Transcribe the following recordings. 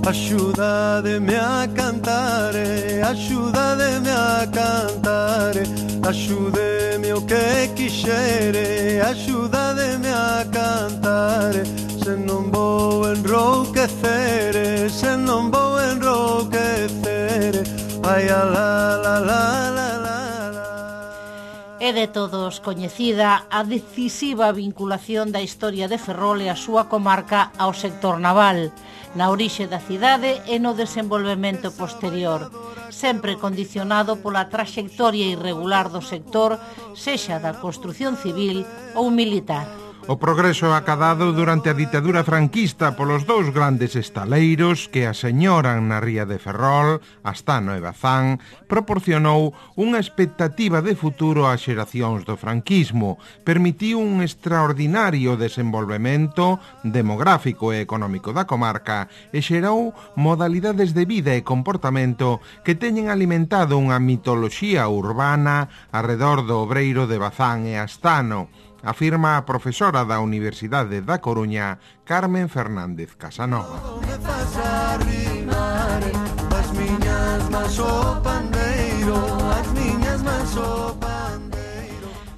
Axúdademe a cantare, axúdademe a cantare, axúdeme o que quixere, axúdademe a cantare, se non vou enrouquecere, se non vou enrouquecere, ai a la la la la la. É de todos coñecida a decisiva vinculación da historia de Ferrol e a súa comarca ao sector naval, na orixe da cidade e no desenvolvemento posterior, sempre condicionado pola traxectoria irregular do sector, sexa da construción civil ou militar. O progreso acadado durante a ditadura franquista polos dous grandes estaleiros que aseñoran na ría de Ferrol, Astano e Bazán, proporcionou unha expectativa de futuro ás xeracións do franquismo, permitiu un extraordinario desenvolvemento demográfico e económico da comarca e xerou modalidades de vida e comportamento que teñen alimentado unha mitoloxía urbana arredor do obreiro de Bazán e Astano, afirma a profesora da Universidade da Coruña, Carmen Fernández Casanova.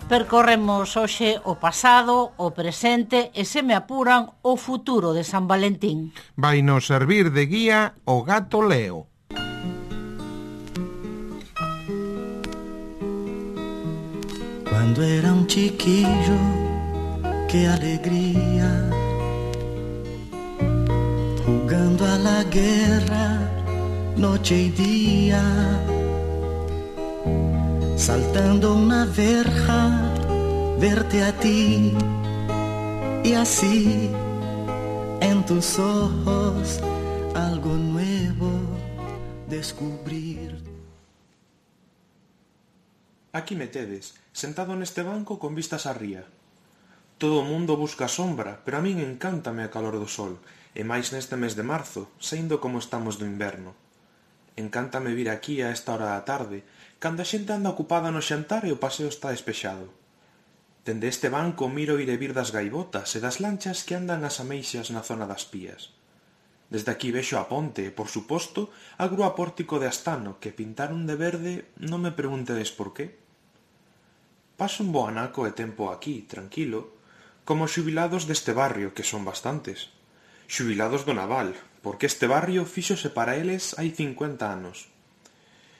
Percorremos hoxe o pasado, o presente e, se me apuran, o futuro de San Valentín. Vai nos servir de guía o gato Leo. Quando era un chiquillo, qué alegría, jugando a la guerra, noche y día, saltando una verja, verte a ti, y así, en tus ojos, algo nuevo descubrir. Aquí me tedes, sentado neste banco con vistas á ría. Todo o mundo busca sombra, pero a min encántame a calor do sol, e máis neste mes de marzo, saindo como estamos do inverno. Encántame vir aquí a esta hora da tarde, cando a xente anda ocupada no xantar e o paseo está despexado. Dende este banco miro ir e vir das gaivotas e das lanchas que andan ás ameixas na zona das pías. Desde aquí vexo a ponte e, por suposto, a grúa pórtico de Astano, que pintaron de verde, non me preguntedes por qué. Paso un bo anaco e tempo aquí, tranquilo, como xubilados deste barrio, que son bastantes. Xubilados do naval, porque este barrio fíxose para eles hai 50 anos.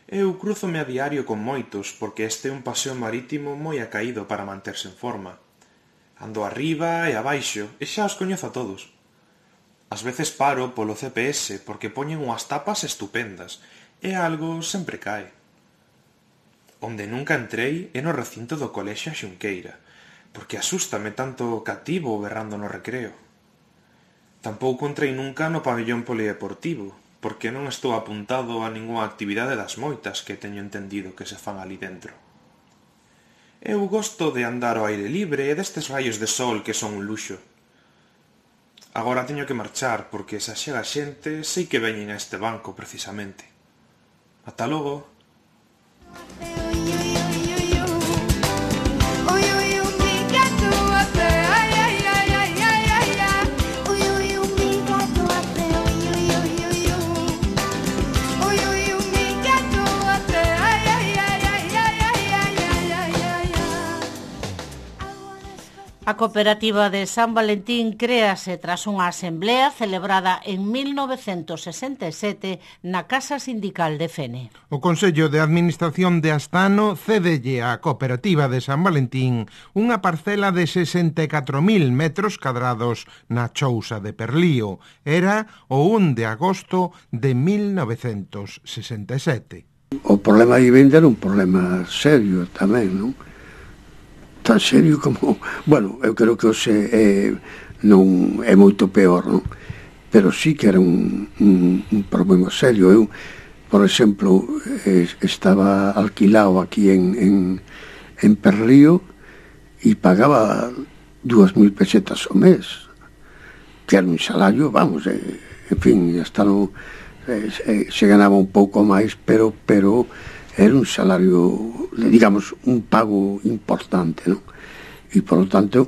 Eu crúzome a diario con moitos, porque este é un paseo marítimo moi acaído para manterse en forma. Ando arriba e abaixo, e xa os coñezo a todos. Ás veces paro polo CPS porque poñen unhas tapas estupendas e algo sempre cae. Onde nunca entrei é no recinto do colexio Xunqueira, porque asústame tanto cativo berrando no recreo. Tampouco entrei nunca no pabellón polideportivo, porque non estou apuntado a ningunha actividade das moitas que teño entendido que se fan ali dentro. Eu gosto de andar ao aire libre e destes raios de sol que son un luxo. Agora teño que marchar, porque se axega xente sei que veñen a este banco precisamente. Ata logo. A cooperativa de San Valentín créase tras unha asemblea celebrada en 1967 na Casa Sindical de Fene. O Consello de Administración de Astano cédelle á cooperativa de San Valentín unha parcela de 64.000 metros cadrados na Chousa de Perlío. Era o 1 de agosto de 1967. O problema de vivenda era un problema serio tamén, non? Tan serio como... Bueno, eu creo que hoxe non é moito peor, non? Pero sí que era un problema serio. Eu, por exemplo, estaba alquilado aquí en Perlío e pagaba 2.000 pesetas ao mes, que era un salario, vamos, en fin, hasta no se ganaba un pouco máis, pero era un salario, digamos, un pago importante, non? E, por lo tanto,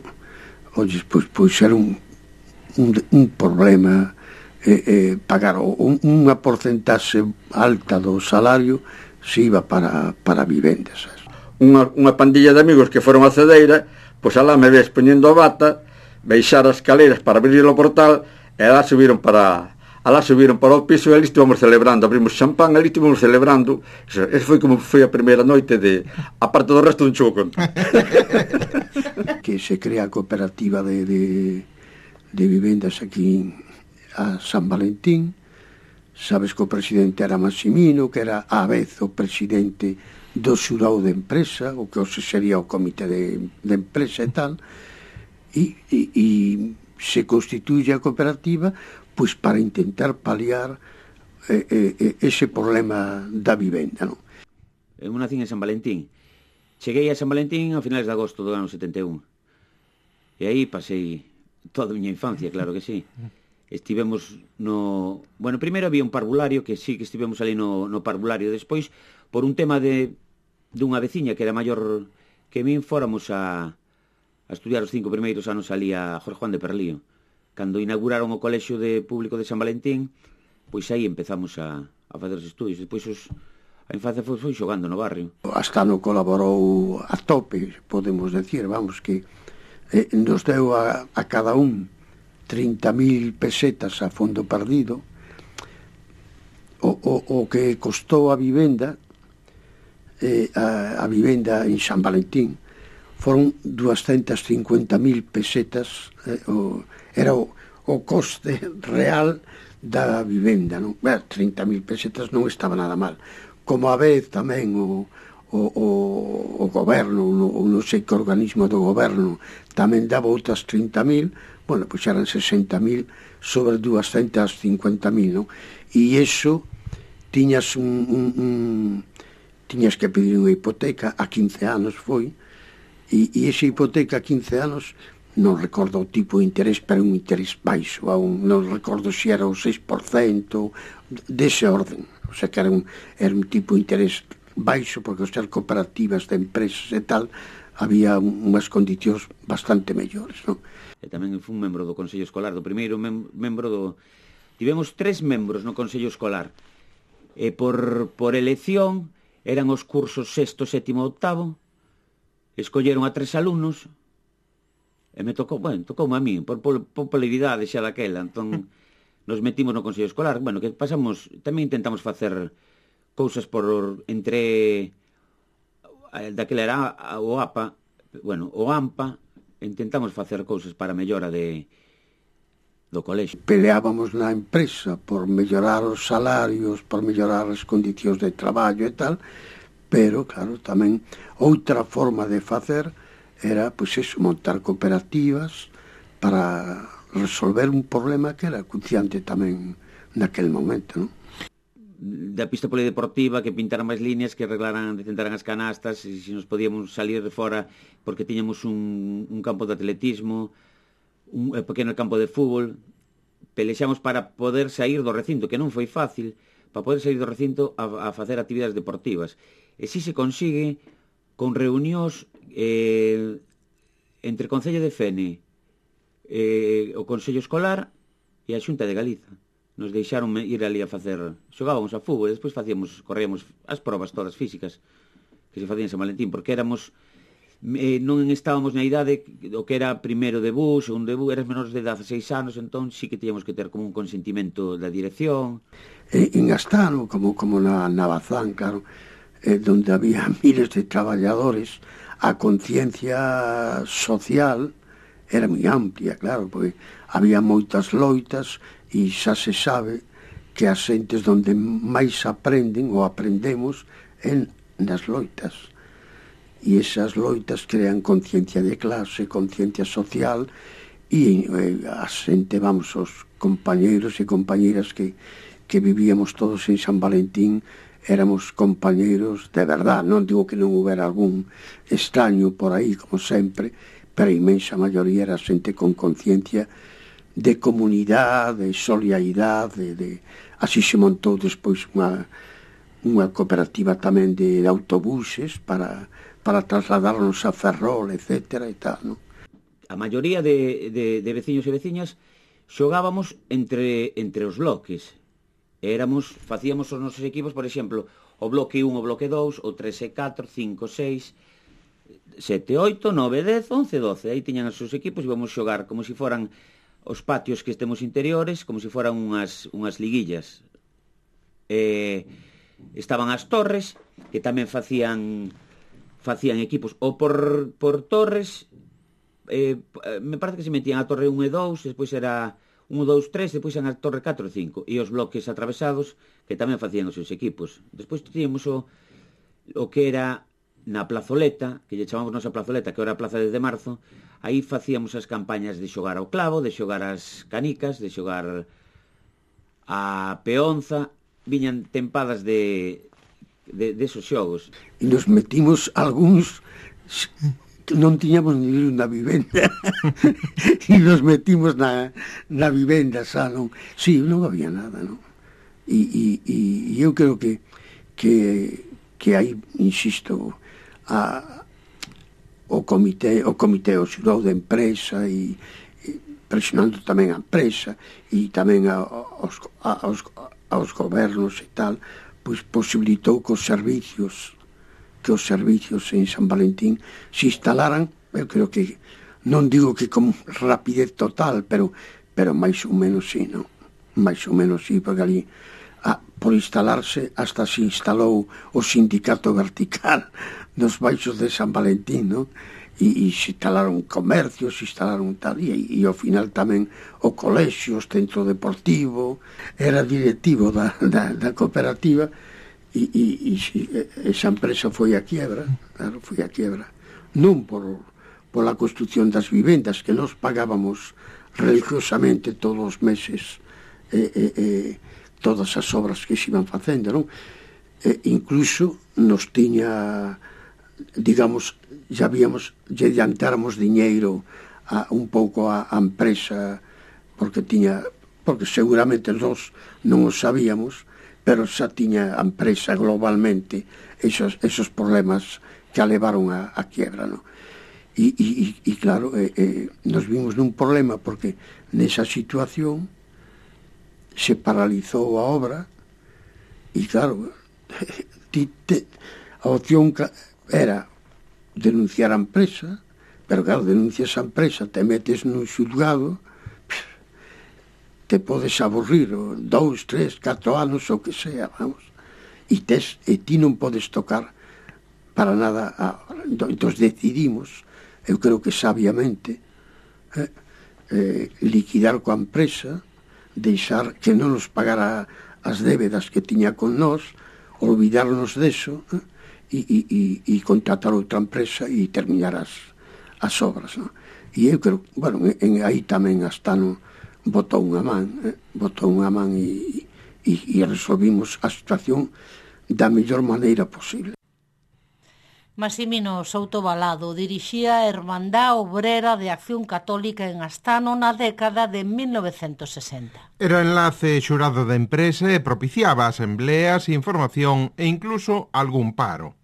pois era un problema pagar unha porcentaxe alta do salario se iba para vivendas. Unha pandilla de amigos que foron a Cedeira, pois alá me ves poñendo a bata, baixar as escaleras para abrir o portal, e alá subiron para o piso e ali estivemos celebrando, abrimos champán, ali estivemos celebrando. Esa foi como foi a primeira noite de, a parte do resto, non chego conto. Que se crea a cooperativa de vivendas aquí a San Valentín. Sabes que o presidente era Massimino, que era á vez o presidente do xurado de empresa, o que hoxe sería o comité de empresa e tal, e se constituye a cooperativa pois para intentar paliar ese problema da vivenda, non? Eu nacín en San Valentín. Cheguei a San Valentín a finales de agosto do ano 71. E aí pasei toda a miña infancia, claro que sí. Estivemos no... Bueno, primeiro había un parvulario, que sí que estivemos ali no parvulario. Despois, por un tema dunha veciña que era maior que min, fóramos a estudiar os 5 primeiros anos ali a Jorge Juan de Perlío. Cando inauguraron o colexio público de San Valentín, pois aí empezamos a fazer os estudios. Despois a infancia foi xogando no barrio. Hasta no colaborou a tope, podemos decir, vamos, que nos deu a cada un 30.000 pesetas a fondo perdido. O que costou a vivenda en San Valentín foron 250.000 pesetas, era o coste real da vivenda, non? 30.000 pesetas non estaba nada mal. Como a vez tamén o goberno, ou non sei que organismo do goberno, tamén daba outras 30.000, bueno, pois eran 60.000 sobre 250.000, non? E iso tiñas tiñas que pedir unha hipoteca a 15 anos foi, e esa hipoteca a 15 anos non recordo o tipo de interés, pero un interés baixo, non recordo se era o 6% dese orden, o sea que era un tipo de interés baixo, porque ao ser cooperativas de empresas e tal, había unhas condicións bastante mellores, non? E tamén fui un membro do Consello Escolar, do primeiro membro do... Tivemos 3 membros no Consello Escolar, e por elección eran os cursos 6º, 7º, 8º, escolleron a 3 alumnos, e me tocoume a mí, por popularidade xa daquela, entón nos metimos no Consello Escolar. Bueno, que pasamos, tamén intentamos facer cousas entre daquela era o APA, bueno, o AMPA, intentamos facer cousas para a mellora do colexio. Peleábamos na empresa por mellorar os salarios, por mellorar as condicións de traballo e tal, pero, claro, tamén outra forma de facer era, pois eso, montar cooperativas para resolver un problema que era acuciante tamén naquel momento, non? Da pista polideportiva, que pintaran máis líneas, que tentaran as canastas, e se nos podíamos salir de fora porque tiñamos un campo de atletismo, un pequeno campo de fútbol. Pelexamos para poder sair do recinto, que non foi fácil, para poder sair do recinto a facer actividades deportivas. E si se consigue con reunións entre o Concello de Fene, o Consello Escolar e a Xunta de Galiza. Nos deixaron ir ali a facer... Xogábamos a fútbol e despois corríamos as probas todas físicas que se facían en San Valentín, porque éramos... non estábamos na idade o que era primeiro debut, segundo debut, eras menores de 16 anos, entón sí que tíamos que ter como un consentimento da dirección. En Astano, como na Bazán, claro, donde había miles de traballadores, a conciencia social era moi amplia, claro, porque había moitas loitas e xa se sabe que as xentes donde máis aprenden ou aprendemos é nas loitas. E esas loitas crean conciencia de clase, conciencia social, e a xente, vamos, os compañeiros e compañeiras que vivíamos todos en San Valentín, éramos compañeiros de verdad. Non digo que non houbera algún extraño por aí, como sempre, pero a inmensa maioría era xente con conciencia de comunidade, de solidaridade, así se montou despois unha cooperativa tamén de autobuses para trasladarnos a Ferrol, etcétera, e tal, non? A maioría de veciños e veciñas xogábamos entre os bloques. Facíamos os nosos equipos, por exemplo, o bloque 1, o bloque 2, o 3 e 4, 5, 6, 7, 8, 9, 10, 11, 12. Aí tiñan os seus equipos e íbamos xogar como se foran os patios que estemos interiores, como se foran unhas liguillas. Estaban as torres, que tamén facían equipos, ou por torres, me parece que se metían a torre 1 e 2, despois era 1, 2, 3, despois eran a torre 4 e 5, e os bloques atravesados, que tamén facían os seus equipos. Despois tíamos o que era na plazoleta, que lle chamamos nosa plazoleta, que era a Plaza de Marzo. Aí facíamos as campañas de xogar ao clavo, de xogar as canicas, de xogar a peonza. Viñan tempadas de esos xogos. E nos metimos algúns que non tiñamos ni unha vivenda e nos metimos na vivenda, xa, non? Sí, non había nada, non? E eu creo que hai, insisto, o comité o xurado de empresa e presionando tamén a empresa e tamén aos gobernos e tal, pois posibilitou que os servicios en San Valentín se instalaran. Eu creo que, non digo que con rapidez total, pero máis ou menos sí, non? Máis ou menos sí, porque ali por instalarse hasta se instalou o sindicato vertical nos baixos de San Valentín, non? E se instalaron comercios, se instalaron tal, e ao final tamén o colexio, o centro deportivo, era directivo da cooperativa, e esa empresa foi a quiebra, claro, foi a quiebra. Non pola construción das vivendas, que nos pagábamos religiosamente todos os meses todas as obras que se iban facendo, non? Incluso nos tiña, digamos, lle adiantáramos diñeiro un pouco a empresa, porque seguramente nós non o sabíamos, pero xa tiña a empresa globalmente esos problemas que a levaron a quiebra, non? E claro, nos vimos nun problema, porque nesa situación se paralizou a obra e claro, a opción era denunciar a empresa, pero claro, denuncias a empresa, te metes nun xulgado, te podes aburrir 2, 3, 4 anos, o que sea, vamos, e ti non podes tocar para nada. Entón decidimos, eu creo que sabiamente, liquidar coa empresa, deixar que non nos pagara as débedas que tiña con nós, olvidarnos deso, e contratar outra empresa e terminar as obras, non? E eu creo, bueno, aí tamén hasta botou unha man e resolvimos a situación da mellor maneira posible. Massimino Souto Balado dirixía a Hermandad Obrera de Acción Católica en Astano na década de 1960. Era enlace xurado de empresa e propiciaba asembleas, información e incluso algún paro.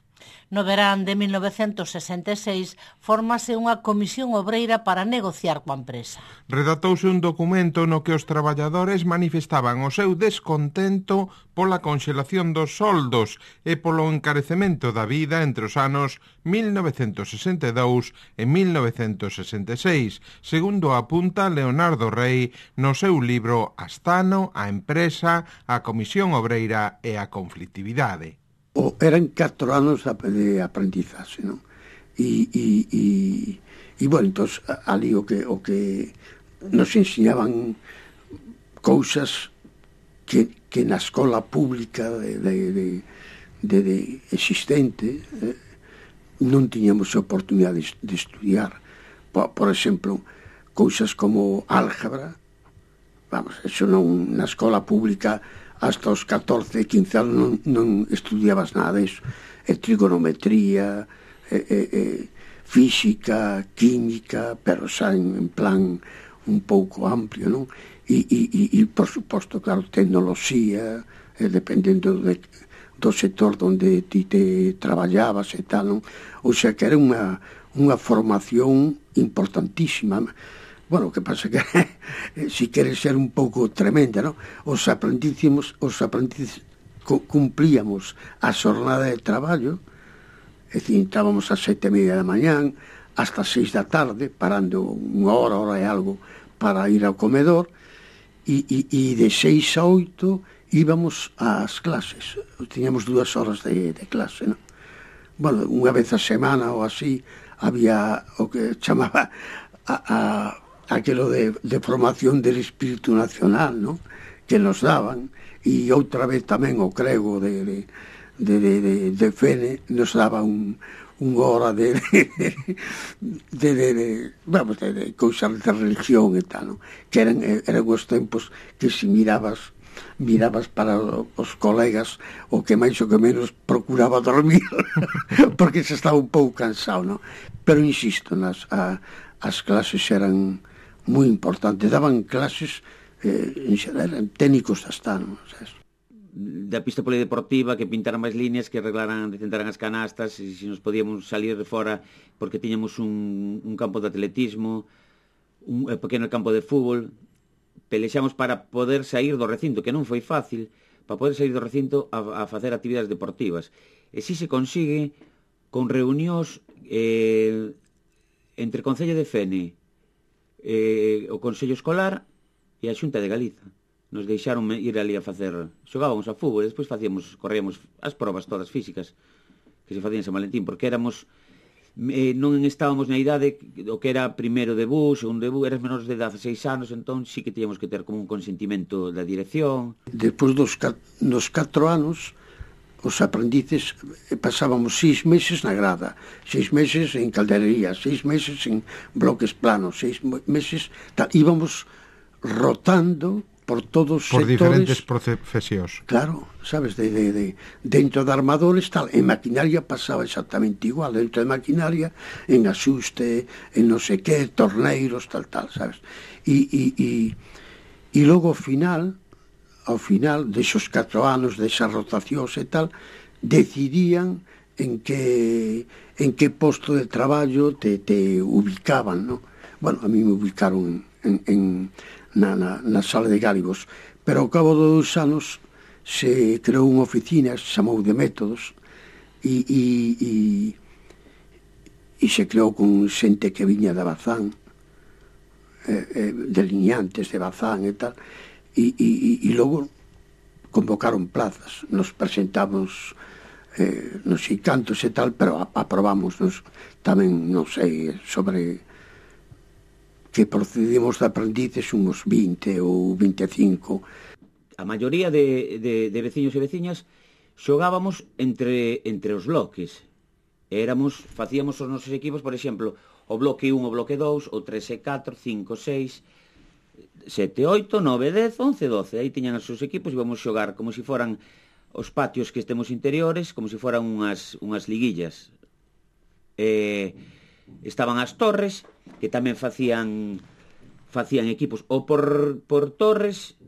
No verán de 1966 fórmase unha comisión obreira para negociar coa empresa. Redactouse un documento no que os traballadores manifestaban o seu descontento pola conxelación dos soldos e polo encarecemento da vida entre os anos 1962 e 1966, segundo apunta Leonardo Rey no seu libro Astano, a empresa, a comisión obreira e a conflictividade. Eran 4 anos de aprendizaxe, non? E bueno, entón, ali o que nos enseñaban cousas que na escola pública de existente non tiñamos oportunidade de estudiar. Por exemplo, cousas como álgebra, vamos, eso non, na escola pública hasta os 14, 15 anos non estudiabas nada disso. Trigonometría, física, química, pero xa en plan un pouco amplio, non? e por suposto, claro, tecnoloxía, dependendo do sector onde ti te traballabas e tal, non? O sea que era unha formación importantísima. Bueno, o que pasa que si queres ser un pouco tremenda, non? Os aprendices cumplíamos a xornada de traballo, é dicir, entrábamos a 7:30 da mañán hasta 6 da tarde, parando unha hora e algo para ir ao comedor, e de 6 a 8 íbamos ás clases. Tiñamos 2 horas de clase, non? Bueno, unha vez a semana ou así había o que chamaba aquilo de formación del espírito nacional, non? Que nos daban, e outra vez tamén o crego de Fene nos daba unha hora de cousas de religión e tal, non? Que eran os tempos que se mirabas para os colegas, o que máis ou que menos procuraba dormir porque se estaba un pouco cansado, non? Pero insisto, as clases eran moi importantes, daban clases eran técnicos hasta, non? Da pista polideportiva, que pintaran máis líneas, que arreglaran, decentaran as canastas, e se nos podíamos salir de fora porque tiñamos un campo de atletismo, un pequeno campo de fútbol. Pelexamos para poder sair do recinto, que non foi fácil, para poder sair do recinto a facer actividades deportivas. E si se consigue con reunións entre o Concello de Fene, o Consello Escolar e a Xunta de Galiza. Nos deixaron ir ali a facer, xogábamos a fútbol, e despois corríamos as probas todas físicas que se facían en San Valentín, porque éramos non estábamos na idade o que era primeiro debut, segundo debut, eras menores de 16 anos, entón sí que teníamos que ter como un consentimento da dirección. Despois dos 4 anos, os aprendices pasábamos 6 meses na grada, 6 meses en calderería, 6 meses en bloques planos, 6 meses íbamos rotando por todos os sectores. Por diferentes profesións. Claro, sabes, dentro de armadores, tal, en maquinaria pasaba exactamente igual, dentro de maquinaria, en asuste, en non sei que, torneiros, tal, sabes. E logo ao final, desos 4 anos, desas rotacións e tal, decidían en que posto de traballo te ubicaban, non? Bueno, a mí me ubicaron na sala de Gálivos, pero ao cabo de 2 anos se creou unha oficina, se chamou de métodos, e se creou con xente que viña de Bazán, delineantes de Bazán e tal, e logo convocaron plazas, nos presentamos non sei cantos e tal, pero aprobamos tamén, non sei, sobre que procedimos de aprendices uns 20 ou 25. A maioría de veciños e veciñas xogábamos entre os bloques. Facíamos os nosos equipos, por exemplo, o bloque 1, o bloque 2, o 3 e 4, 5, 6, 7, 8, 9, 10, 11, 12. Aí tiñan os seus equipos e íbamos xogar como se foran os patios que estemos interiores, como se foran unhas liguillas. Estaban as torres, que tamén facían equipos, ou por torres,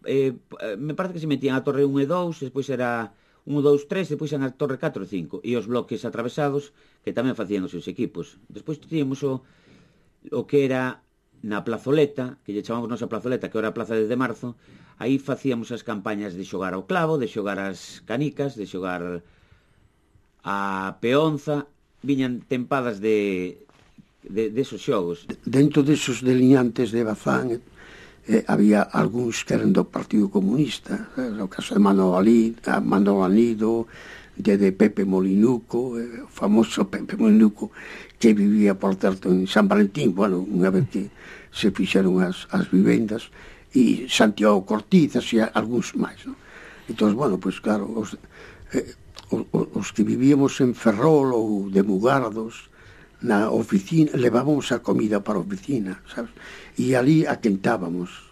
me parece que se metían a torre 1 e 2, despois era 1, 2, 3, despois eran a torre 4 e 5, e os bloques atravesados, que tamén facían os seus equipos. Despois teníamos o que era na plazoleta, que lle chamamos nosa plazoleta, que era a Plaza de Marzo. Aí facíamos as campañas de xogar ao clavo, de xogar as canicas, de xogar a peonza. Viñan tempadas de esos xogos. Dentro desos delineantes de Bazán había algúns que eran do Partido Comunista, o caso de Manolo Anido, de Pepe Molinuco, o famoso Pepe Molinuco, que vivía, por certo, en San Valentín, bueno, unha vez que se fixeron as vivendas, e Santiago Cortizas e algúns máis, non? Entón, bueno, pois claro, os que vivíamos en Ferrol ou de Mugardos, na oficina, levábamos a comida para a oficina, sabes? E ali aquentábamos,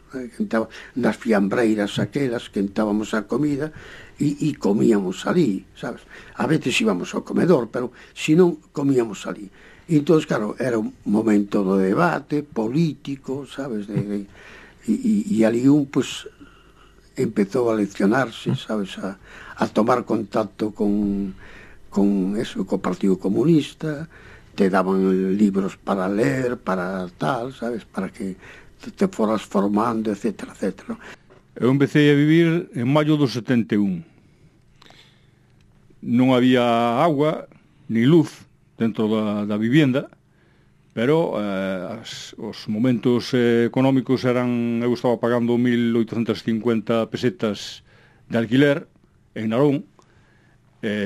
nas fiambreiras aquelas, quentábamos a comida e comíamos ali, sabes? A veces íbamos ao comedor, pero se non, comíamos ali. E entón, claro, era un momento do debate político, sabes? E ali pues, empezou a leccionarse, sabes, a tomar contacto con eso, co Partido Comunista, te daban libros para ler, para tal, sabes, para que te foras formando, etcétera, etcétera. Eu empecé a vivir en maio do 71. Non había agua ni luz dentro da vivenda, pero os momentos económicos eran, eu estaba pagando 1.850 pesetas de alquiler en Narón,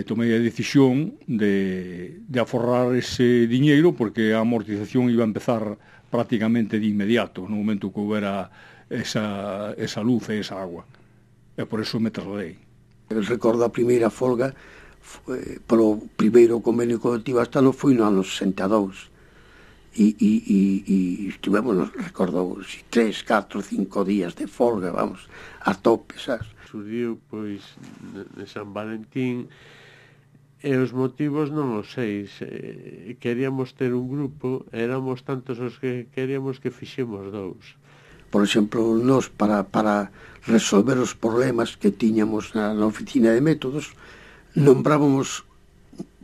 tomei a decisión de aforrar ese diñeiro porque a amortización iba a empezar prácticamente de inmediato no momento que houbera esa luz e esa agua, e por eso me trasladei. Eu recordo a primeira folga polo primeiro convenio colectivo hasta non foi no ano 62 e estivemos, recordo, 3, 4, 5 días de folga, vamos, a tope, sabes? Surdiu, pois, de San Valentín, e os motivos non os sei. Queríamos ter un grupo, éramos tantos os que queríamos que fixemos 2. Por exemplo, nós, para resolver os problemas que tiñamos na oficina de métodos, nombrábamos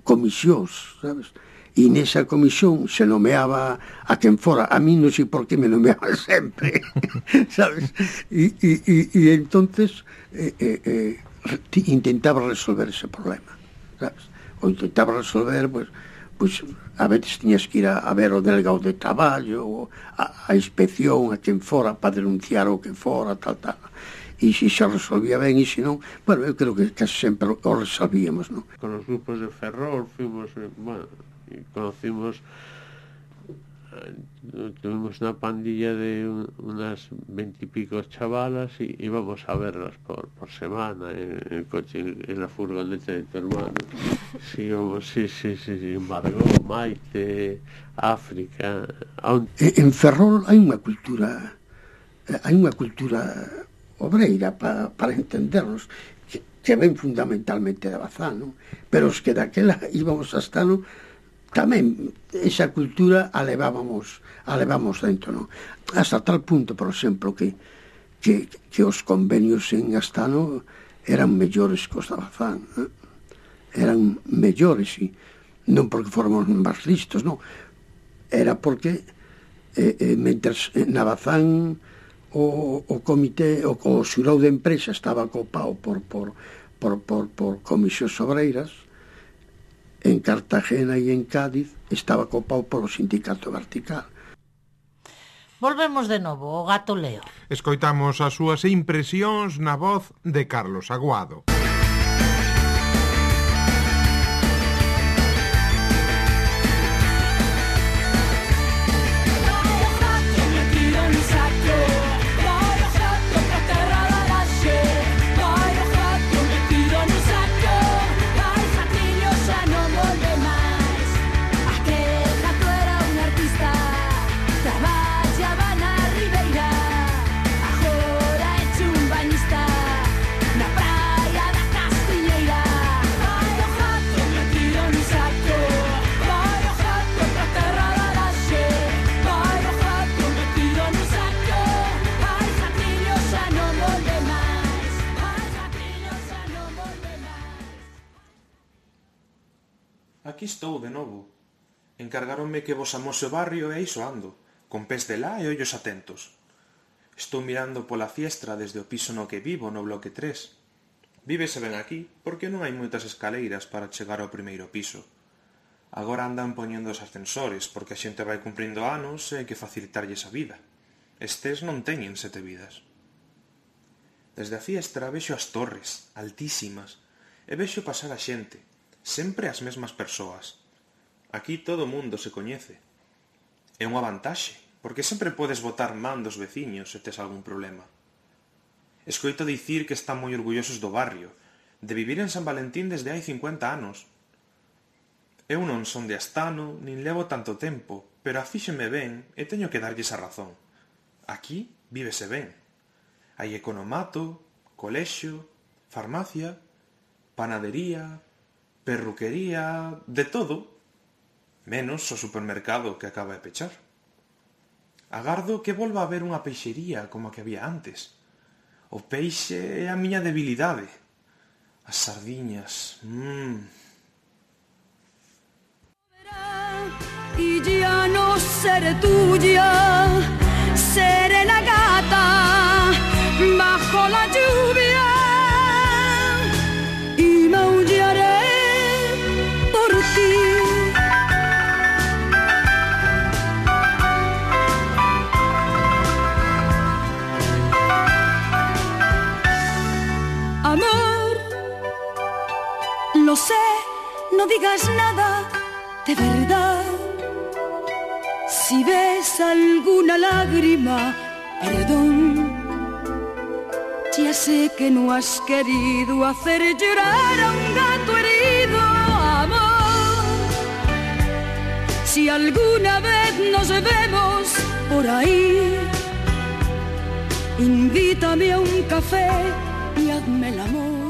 comisións, sabes? E nesa comisión se nomeaba a quen fora. A mí non sei por que me nomeaban sempre, sabes? E entonces intentaba resolver ese problema, sabes? O intentaba resolver, pues a veces tiñas que ir a ver o delegado de traballo, a inspección, a quen fora, para denunciar o que fora, tal. E se xa resolvía ben, e se non, bueno, eu creo que casi sempre o resolvíamos, non? Con os grupos de Ferrol fuimos, bueno, conocimos, tuvimos una pandilla de unas 20 y pico chavalas y íbamos a verlas por semana en el coche, en la furgoneta de tu hermano. Sí, Margot, Maite, África. En Ferrol hai unha cultura obreira para entendernos que ven fundamentalmente de Bazán, non? Pero os que daquela íbamos hasta, non? Tamén esa cultura a levábamos dentro, non? Hasta tal punto, por exemplo, que os convenios en Astano eran mellores que os da Bazán, non? Eran mellores, e non porque fóramos máis listos, non? Era porque mentres na Bazán o comité, o xurado de empresa estaba copado por comisións obreiras, en Cartagena e en Cádiz estaba copado polo sindicato vertical. Volvemos de novo ao Gato Leo. Escoitamos as súas impresións na voz de Carlos Aguado. Aquí estou de novo. Encargáronme que vos amose o barrio e iso ando, con pés de lá e ollos atentos. Estou mirando pola fiestra desde o piso no que vivo, no bloque 3. Vívese ben aquí, porque non hai moitas escaleiras para chegar ao primeiro piso. Agora andan poñendo os ascensores, porque a xente vai cumprindo anos e hai que facilitarlles a vida. Estes non teñen 7 vidas. Desde a fiestra vexo as torres, altísimas, e vexo pasar a xente, sempre as mesmas persoas. Aquí todo o mundo se coñece. É unha vantaxe, porque sempre podes botar man dos veciños se tes algún problema. Escoito dicir que están moi orgullosos do barrio, de vivir en San Valentín desde hai 50 anos. Eu non son de Astano, nin levo tanto tempo, pero afíxeme ben e teño que darlles a razón. Aquí vívese ben. Hai economato, colexio, farmacia, panadería, perruquería, de todo, menos o supermercado que acaba de pechar. Agardo que volva a haber unha peixería como a que había antes. O peixe é a miña debilidade. As sardiñas, Y ya no seré tuya, seré la gata bajo la lluvia y maullaré por ti. Amor, lo sé, no digas nada de verdad. Si ves alguna lágrima, perdón. Ya sé que no has querido hacer llorar a un gato herido, amor. Si alguna vez nos vemos por ahí, invítame a un café y hazme el amor.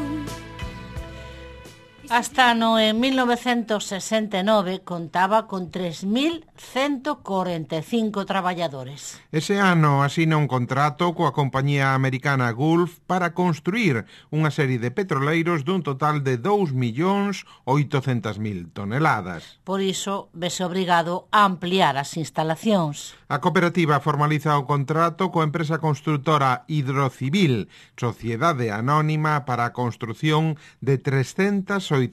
Astano en 1969 contaba con 3.145 traballadores. Ese ano asina un contrato coa compañía americana Gulf para construir unha serie de petroleiros dun total de 2.800.000 toneladas. Por iso, vese obrigado a ampliar as instalacións. A cooperativa formaliza o contrato coa empresa construtora Hidrocivil, sociedade anónima para a construción de 384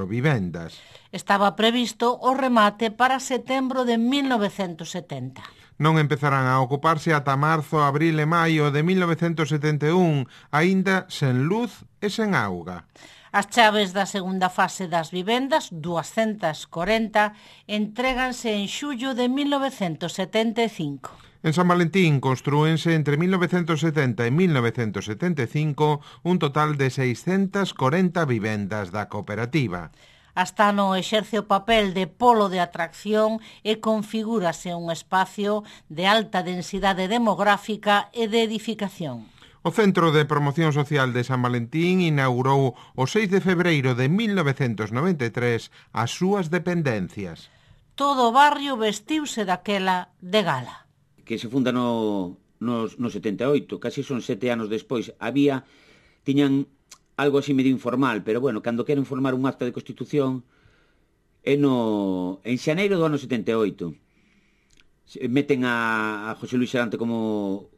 vivendas. Estaba previsto o remate para setembro de 1970. Non empezarán a ocuparse ata marzo, abril e maio de 1971, aínda sen luz e sen auga. As chaves da segunda fase das vivendas, 240, entréganse en xullo de 1975. En San Valentín construense entre 1970 e 1975 un total de 640 vivendas da cooperativa. Astano exerce o papel de polo de atracción e configúrase un espacio de alta densidade demográfica e de edificación. O Centro de Promoción Social de San Valentín inaugurou o 6 de febreiro de 1993 as súas dependencias. Todo o barrio vestiuse daquela de gala. Que se funda no 78, casi son 7 anos despois. Tiñan algo así medio informal, pero bueno, cando queren formar un acta de constitución en xaneiro do ano 78. Meten a José Luis Serante como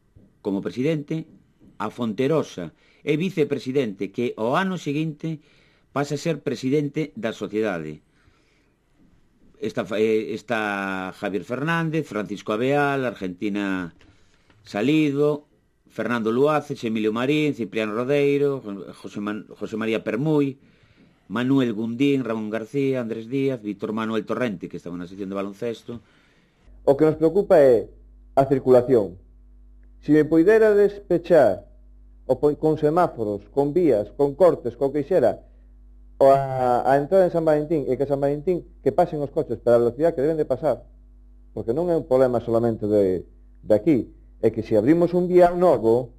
presidente, a Fonterosa é vicepresidente, que o ano seguinte pasa a ser presidente da sociedade. Está Javier Fernández, Francisco Abeal, Argentina Salido, Fernando Luaces, Emilio Marín, Cipriano Rodeiro, José María Permuy, Manuel Gundín, Ramón García, Andrés Díaz, Víctor Manuel Torrente, que estaba na sección de baloncesto. O que nos preocupa é a circulación. Se me poidera despechar con semáforos, con vías, con cortes, con que xera a entrada en San Valentín, e que San Valentín que pasen os coches para a velocidade que deben de pasar, porque non é un problema solamente de aquí, é que se abrimos un vial novo,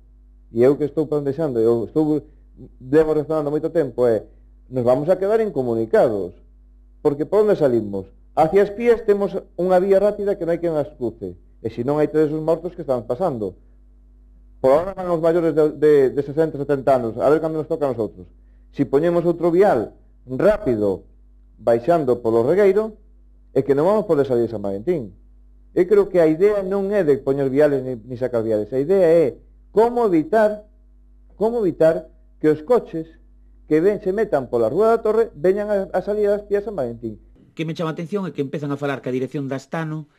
e eu que estou plantexando, levo responando moito tempo, nos vamos a quedar incomunicados, porque por onde salimos? Hacia as Pías temos unha vía rápida que non hai que nas cruce, e se non hai todos os mortos que están pasando. Por ahora van os maiores de 60, 70 anos, a ver cando nos toca a nosotros. Si poñemos outro vial rápido baixando polo regueiro, é que non vamos poder salir de San Valentín. Eu creo que a idea non é de poñer viales ni sacar viales, a idea é como evitar que os coches que se metan pola Rúa da Torre veñan a salir das Pías San Valentín. Que me chama a atención é que empezan a falar ca dirección da Astano,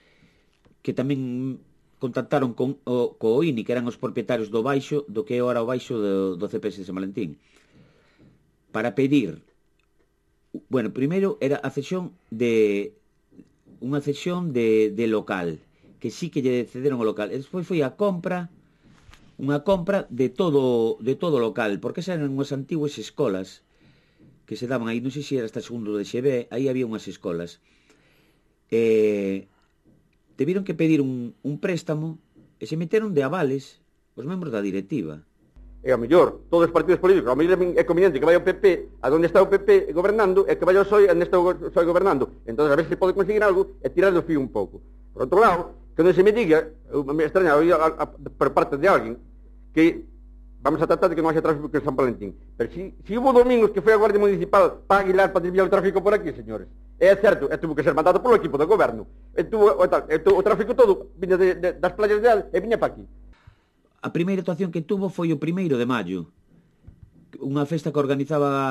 que tamén contactaron co INI, que eran os propietarios do baixo, do que é ora o baixo do CPS de San Valentín, para pedir, bueno, primeiro era unha cesión de local, que sí que lle cederon o local, e despois foi unha compra de todo o local, porque eran unhas antiguas escolas que se daban aí, non sei se era hasta segundo de XB, aí había unhas escolas. Deviron que pedir un préstamo e se meteron de avales os membros da directiva. E a mellor, todos os partidos políticos, a mellor é conveniente que vaya o PP a donde está o PP gobernando e que vaya o PSOE a onde está o PSOE gobernando. Entón, a ver se pode conseguir algo e tirar do fío un pouco. Por outro lado, non se me diga, me extraña por parte de alguén, que vamos a tratar de que non haxa tráfico en San Valentín. Pero si hubo domingos que foi a Guardia Municipal para Aguilar para desviar o tráfico por aquí, señores. É certo, tuvo que ser mandado polo equipo do goberno. O tráfico todo viña das playas de Al e viña para aquí. A primeira actuación que tuvo foi o 1 de maio, unha festa que organizaba a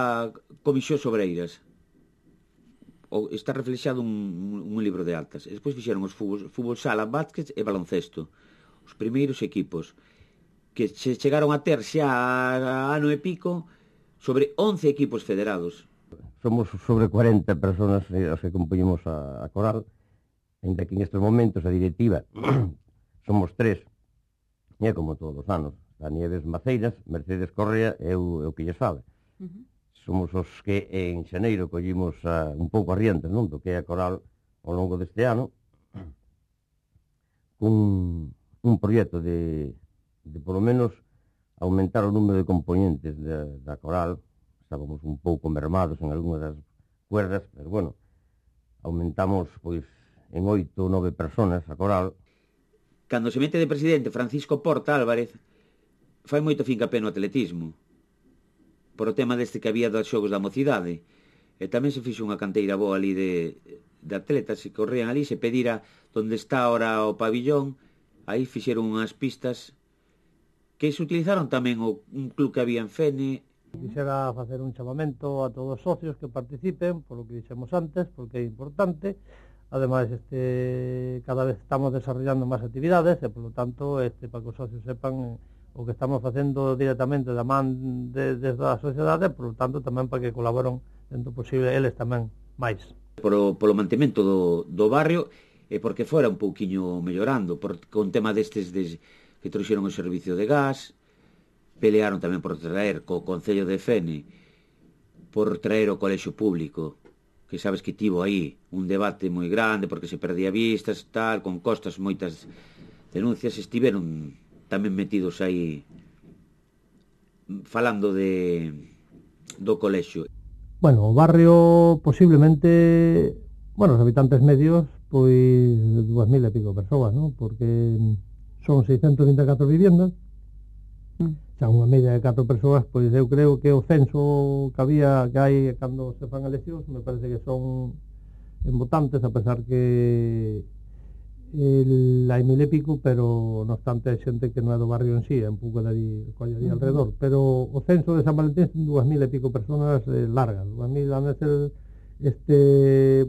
Comisión Obreiras. Está reflexado un libro de actas. E despois fixeron os fútbol sala, básquet e baloncesto. Os primeiros equipos que se chegaron a ter xa ano e pico sobre 11 equipos federados. Somos sobre 40 personas as que compoñemos a coral, ainda que en estes momentos a directiva somos 3, e é como todos os anos, Danieves Maceiras, Mercedes Correa e o que lle sabe. Somos os que en xaneiro collimos un pouco arrientes, non? Do que é a coral ao longo deste ano, cun un proxecto de polo menos aumentar o número de componentes da coral. Estábamos un pouco mermados en algunha das cuerdas, pero bueno, aumentamos pois en 8 ou 9 personas a coral. Cando se mete de presidente Francisco Porta Álvarez, fai moito fincapé no atletismo, por o tema deste que había dos xogos da mocidade, e tamén se fixo unha canteira boa ali de atletas que corrían ali, se pedira onde está ahora o pabillón, aí fixeron unhas pistas que se utilizaron tamén un club que había en Fene. Quixera facer un chamamento a todos os socios que participen, polo que dixemos antes, porque é importante. Ademais, cada vez estamos desarrollando máis actividades e, polo tanto, para que os socios sepan o que estamos facendo directamente da man desde a sociedade, polo tanto, tamén para que colaboren dentro posible eles tamén máis. Polo mantemento do barrio e porque fora un pouquiño mellorando, con tema destes que trouxeron o servicio de gas. Pelearon tamén por traer co Concello de Fene, por traer o colexio público, que sabes que tivo aí un debate moi grande porque se perdía vistas, tal, con costas moitas denuncias. Estiveron tamén metidos aí falando do colexio. Bueno, o barrio posiblemente, os habitantes medios, pois 2.000 e pico persoas, non? Porque son 624 viviendas, xa unha media de 4 persoas, pois eu creo que o censo que hai cando se fan eleccións, me parece que son en votantes, a pesar que hai 1.000 e pico, pero non obstante hai xente que non é do barrio en sí, é un pouco de ali alrededor, pero o censo de San Valentín son 2.000 e pico personas largas, 2.000 van a ser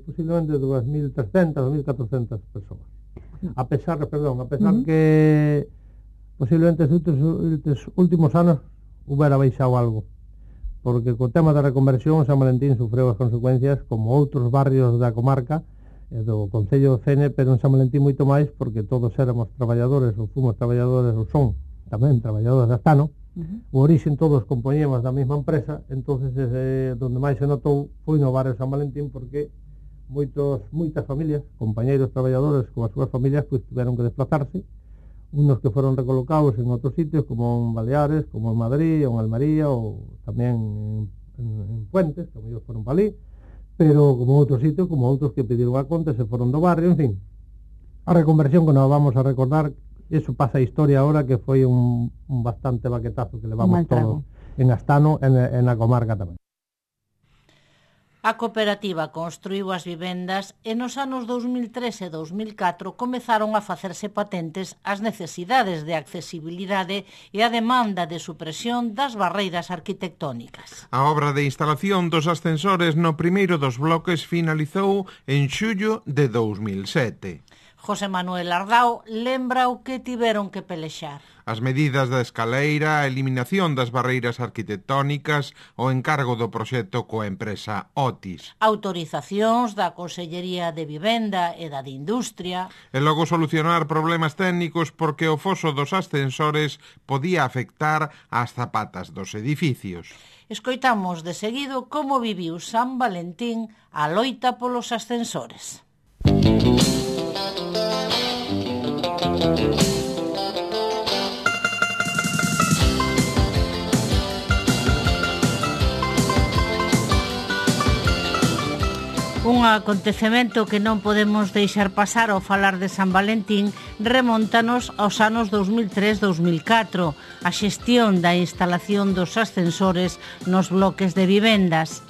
posiblemente 2.300, 2.400 persoas. A pesar que posiblemente estes últimos anos hubiera baixado algo, porque co tema da reconversión San Valentín sufreu as consecuencias como outros barrios da comarca do Concello de Fene, pero en San Valentín moito máis, porque todos éramos traballadores, ou fomos traballadores, ou son tamén traballadores de Astano. O orixen todos compoñemos da mesma empresa, entonces donde máis se notou foi no barrio San Valentín, porque moitas familias, compañeiros traballadores con as súas familias, pois tiveron que desplazarse, unos que foron recolocados en outros sitios, como en Baleares, como en Madrid, ou en Almería, ou tamén en Fuentes, que ellos foron para ali, pero como outros sitios, como outros que pediron a conta, se foron do barrio, en fin. A reconversión que nos vamos a recordar, eso pasa a historia ahora, que foi un bastante baquetazo que levamos todos en Astano e na comarca tamén. A cooperativa construíu as vivendas e nos anos 2003 e 2004 comezaron a facerse patentes as necesidades de accesibilidade e a demanda de supresión das barreiras arquitectónicas. A obra de instalación dos ascensores no primeiro dos bloques finalizou en xullo de 2007. José Manuel Ardao lembra o que tiveron que pelexar. As medidas da escaleira, a eliminación das barreiras arquitectónicas, o encargo do proxecto coa empresa Otis. Autorizacións da Consellería de Vivenda e da de Industria. E logo solucionar problemas técnicos porque o foso dos ascensores podía afectar as zapatas dos edificios. Escoitamos de seguido como viviu San Valentín a loita polos ascensores. Un acontecemento que non podemos deixar pasar ao falar de San Valentín remóntanos aos anos 2003-2004, a xestión da instalación dos ascensores nos bloques de vivendas.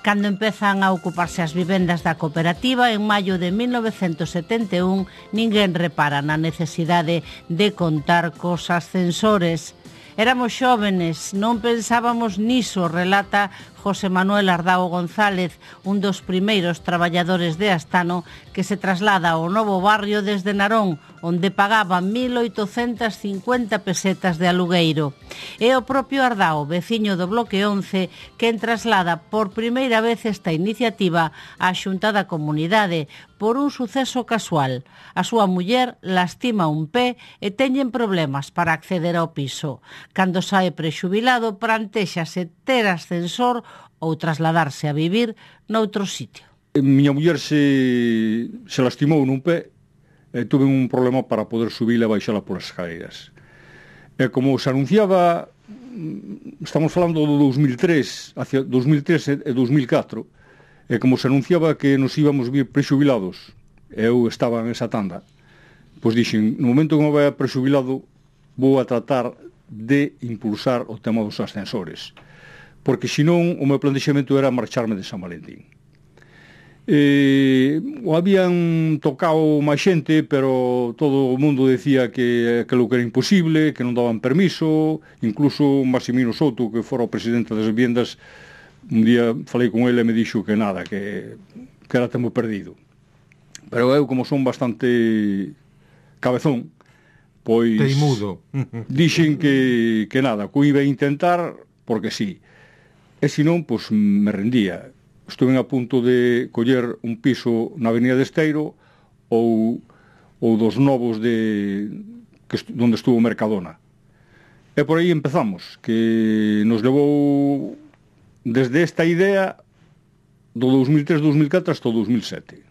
Cando empezan a ocuparse as vivendas da cooperativa, en maio de 1971, ninguén repara na necesidade de contar cos ascensores. Éramos xóvenes, non pensábamos niso, relata José Manuel Ardao González, un dos primeiros traballadores de Astano que se traslada ao novo barrio desde Narón, onde pagaba 1.850 pesetas de alugueiro. É o propio Ardao, veciño do bloque 11, quen traslada por primeira vez esta iniciativa á Xunta da Comunidade por un suceso casual. A súa muller lastima un pé e teñen problemas para acceder ao piso. Cando sae prexubilado, plantéxase ter ascensor ou trasladarse a vivir noutro sitio. Miña muller se lastimou nun pé e tuve un problema para poder subila e baixala polas escaleiras. E como se anunciaba, estamos falando do 2003, hacia 2003 e 2004, e como se anunciaba que nos íbamos vir prexubilados, eu estaba en esa tanda, pois dixen, no momento que me vai prexubilado, vou a tratar de impulsar o tema dos ascensores, porque senón o meu plantexamento era marcharme de San Valentín. O habían tocado máis xente, pero todo o mundo decía que aquilo que era imposible, que non daban permiso, incluso Maximino Souto, que fora o presidente das viviendas, un día falei con ele e me dixo que nada, que era tempo perdido. Pero eu, como son bastante cabezón, pois teimudo, dixen que nada, que iba a intentar porque sí. E senón, pois me rendía. Estuve a punto de coller un piso na Avenida de Esteiro ou dos novos onde estuvo Mercadona. E por aí empezamos, que nos levou desde esta idea do 2003-2004 hasta o 2007.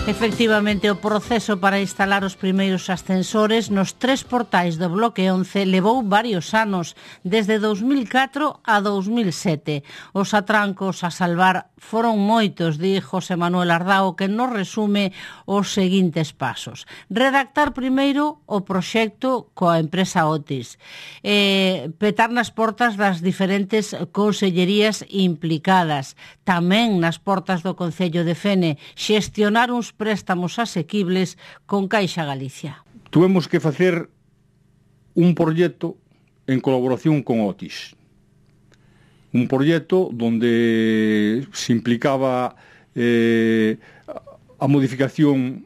Efectivamente, o proceso para instalar os primeiros ascensores nos 3 portais do bloque 11 levou varios anos, desde 2004 a 2007. Os atrancos a salvar foron moitos, di José Manuel Ardao, que nos resume os seguintes pasos. Redactar primeiro o proxecto coa empresa Otis, petar nas portas das diferentes consellerías implicadas, tamén nas portas do Concello de Fene, xestionar uns préstamos asequibles con Caixa Galicia. Tuvemos que facer un proxecto en colaboración con Otis. Un proxecto donde se implicaba a modificación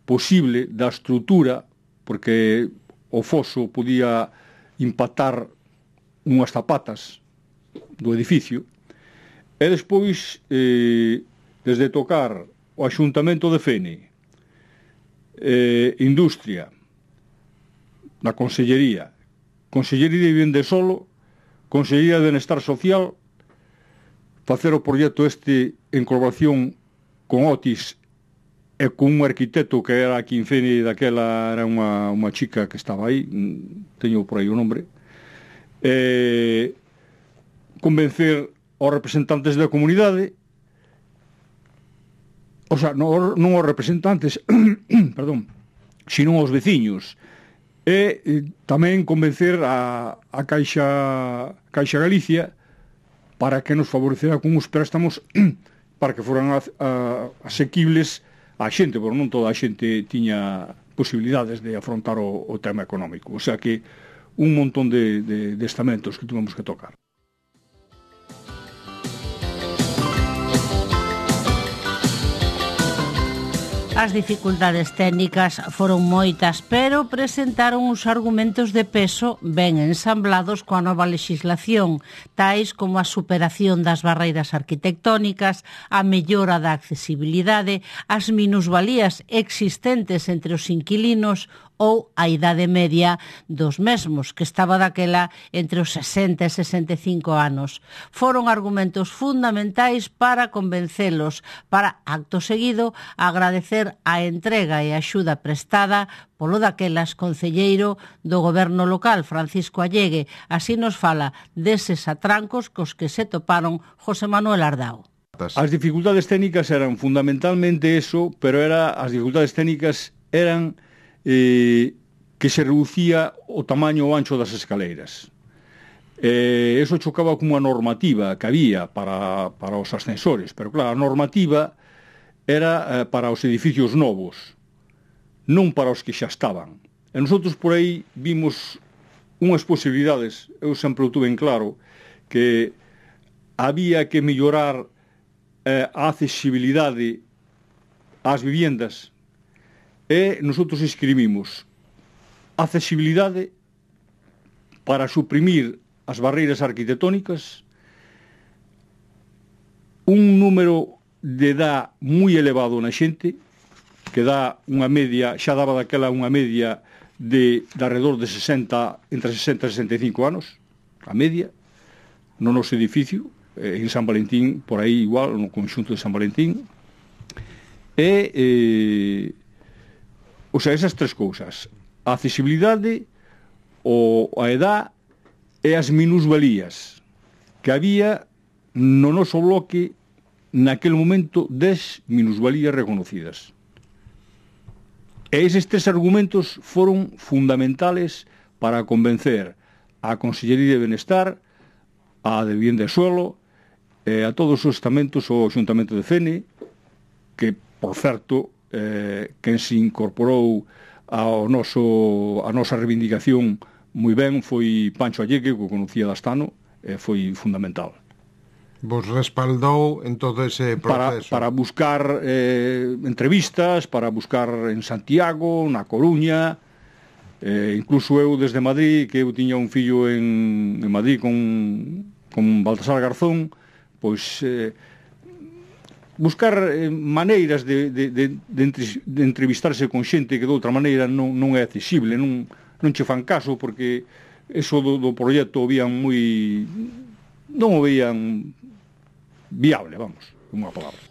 posible da estrutura, porque o foso podía impactar unhas zapatas do edificio, e despois, desde tocar o Axuntamento de Fene, Industria, na Consellería de Vivenda e Solo, Consellería de Benestar Social, facer o proxecto este en colaboración con Otis e con un arquitecto que era aquí en Fene, daquela era unha chica que estaba aí, teño por aí o nombre, convencer aos representantes da comunidade, o sea, non aos representantes, perdón, sino aos veciños, e tamén convencer a Caixa Galicia para que nos favorecera con uns préstamos para que foran asequibles á xente, porque non toda a xente tiña posibilidades de afrontar o tema económico. O sea que un montón de estamentos que tuvemos que tocar. As dificultades técnicas foron moitas, pero presentaron uns argumentos de peso ben ensamblados coa nova legislación, tais como a superación das barreiras arquitectónicas, a mellora da accesibilidade, as minusvalías existentes entre os inquilinos ou a idade media dos mesmos, que estaba daquela entre os 60 e 65 anos. Foron argumentos fundamentais para convencelos, para, acto seguido, agradecer a entrega e a axuda prestada polo daquelas concelleiro do goberno local, Francisco Allegue. Así nos fala deses atrancos cos que se toparon José Manuel Ardao. As dificultades técnicas eran fundamentalmente eso, pero as dificultades técnicas eran que se reducía o tamaño o ancho das escaleiras. Eso chocaba con unha normativa que había para os ascensores, pero claro, a normativa era para os edificios novos, non para os que xa estaban. E nosotros por aí vimos unhas posibilidades, eu sempre o tuve en claro, que había que mellorar a accesibilidade ás viviendas, e nosotros escribimos accesibilidade para suprimir as barreiras arquitectónicas, un número de edad moi elevado na xente, que dá unha media, xa daba daquela unha media de alrededor de 60, entre 60 e 65 anos, a media, no noso edificio, en San Valentín, por aí igual, no conxunto de San Valentín, o sea, esas tres cousas, a accesibilidade, a edad e as minusvalías que había no noso bloque naquele momento 10 minusvalías reconocidas. E eses tres argumentos foron fundamentales para convencer a Consellería de Benestar, a de Vivienda e Suelo, a todos os estamentos, o Xuntamento de Fene, que, por certo, quen se incorporou a nosa reivindicación moi ben foi Pancho Allegue, que o conocía de Astano, foi fundamental. Vos respaldou en todo ese proceso? Para buscar entrevistas, para buscar en Santiago, na Coruña, incluso eu desde Madrid, que eu tiña un fillo en Madrid con Baltasar Garzón, pois buscar maneiras de entrevistarse con xente que de outra maneira non é accesible, non che fan caso, porque eso do proxecto non o veían viable, vamos, unha palabra.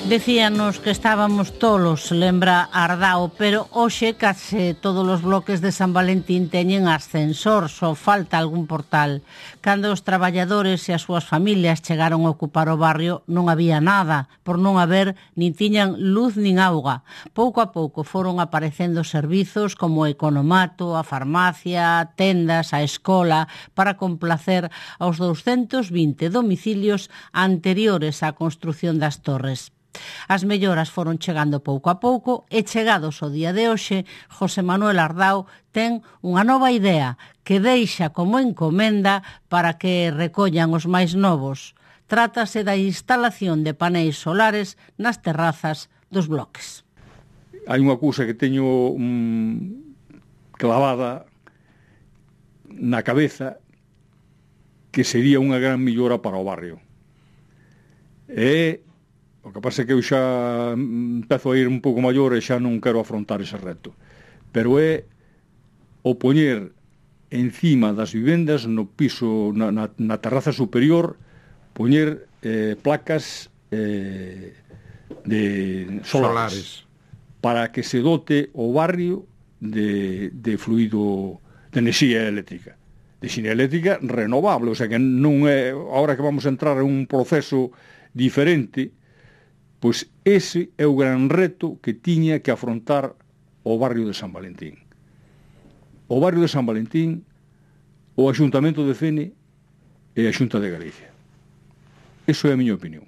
Decíanos que estábamos tolos, lembra Ardao, pero hoxe case todos os bloques de San Valentín teñen ascensor, só falta algún portal. Cando os traballadores e as súas familias chegaron a ocupar o barrio non había nada, por non haber nin tiñan luz nin auga. Pouco a pouco foron aparecendo servizos como o economato, a farmacia, tendas, a escola, para complacer aos 220 domicilios anteriores á construción das torres. As melloras foron chegando pouco a pouco e chegados ao día de hoxe, José Manuel Ardao ten unha nova idea que deixa como encomenda para que recollan os máis novos. Trátase da instalación de paneis solares nas terrazas dos bloques. Hai unha cousa que teño clavada na cabeza que sería unha gran millora para o barrio. O que pasa é que eu xa empezo a ir un pouco maior e xa non quero afrontar ese reto. Pero é o poñer encima das vivendas, no piso, na terraza superior, poñer placas de solares para que se dote o barrio de fluido, de enerxía eléctrica. De enerxía eléctrica renovable, o sea que non é, agora que vamos a entrar en un proceso diferente, pois ese é o gran reto que tiña que afrontar o barrio de San Valentín. O barrio de San Valentín, o Axuntamento de Fene e a Xunta de Galicia. Eso é a miña opinión.